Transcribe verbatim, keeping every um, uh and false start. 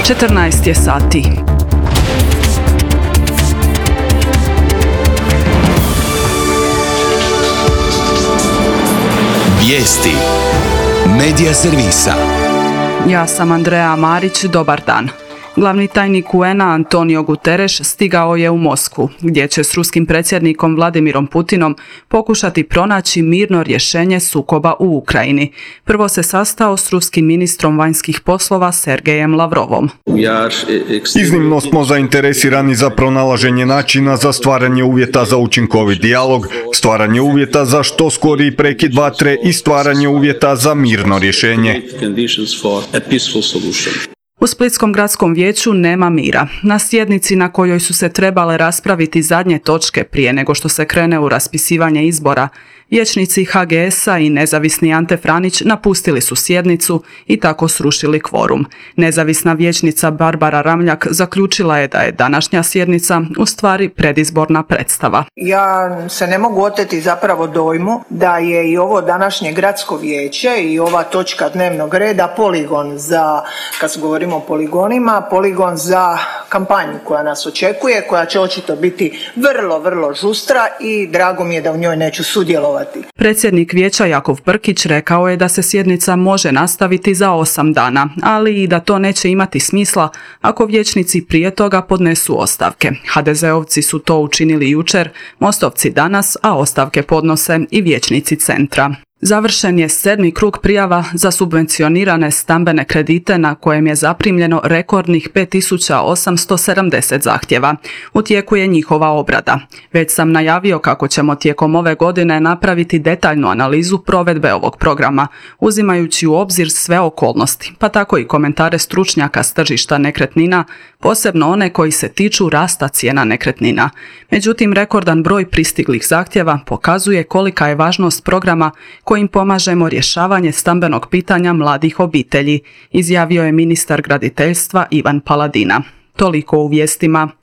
četrnaest je sati. Vijesti Medija servisa. Ja sam Andreja Marić, dobar dan. Glavni tajnik U N-a Antonio Guterres stigao je u Moskvu, gdje će s ruskim predsjednikom Vladimirom Putinom pokušati pronaći mirno rješenje sukoba u Ukrajini. Prvo se sastao s ruskim ministrom vanjskih poslova Sergejem Lavrovom. Iznimno smo zainteresirani za pronalaženje načina za stvaranje uvjeta za učinkovit dijalog, stvaranje uvjeta za što skoriji prekid vatre i stvaranje uvjeta za mirno rješenje. U Splitskom gradskom vijeću nema mira. Na sjednici na kojoj su se trebale raspraviti zadnje točke prije nego što se krene u raspisivanje izbora, vijećnici H G S-a i nezavisni Ante Franić napustili su sjednicu i tako srušili kvorum. Nezavisna vijećnica Barbara Ramljak zaključila je da je današnja sjednica u stvari predizborna predstava. Ja se ne mogu oteti zapravo dojmu da je i ovo današnje gradsko vijeće i ova točka dnevnog reda poligon za, kad govorimo o poligonima, poligon za kampanju koja nas očekuje, koja će očito biti vrlo, vrlo žustra i drago mi je da u njoj neću sudjelovati. Predsjednik vijeća Jakov Brkić rekao je da se sjednica može nastaviti za osam dana, ali i da to neće imati smisla ako vijećnici prije toga podnesu ostavke. ha de zeovci su to učinili jučer, Mostovci danas, a ostavke podnose i vijećnici centra. Završen je sedmi krug prijava za subvencionirane stambene kredite na kojem je zaprimljeno rekordnih pet tisuća osamsto sedamdeset zahtjeva. U tijeku je njihova obrada. Već sam najavio kako ćemo tijekom ove godine napraviti detaljnu analizu provedbe ovog programa, uzimajući u obzir sve okolnosti, pa tako i komentare stručnjaka s tržišta nekretnina, posebno one koji se tiču rasta cijena nekretnina. Međutim, rekordan broj pristiglih zahtjeva pokazuje kolika je važnost programa kojim pomažemo rješavanje stambenog pitanja mladih obitelji, izjavio je ministar graditeljstva Ivan Paladina. Toliko u vijestima.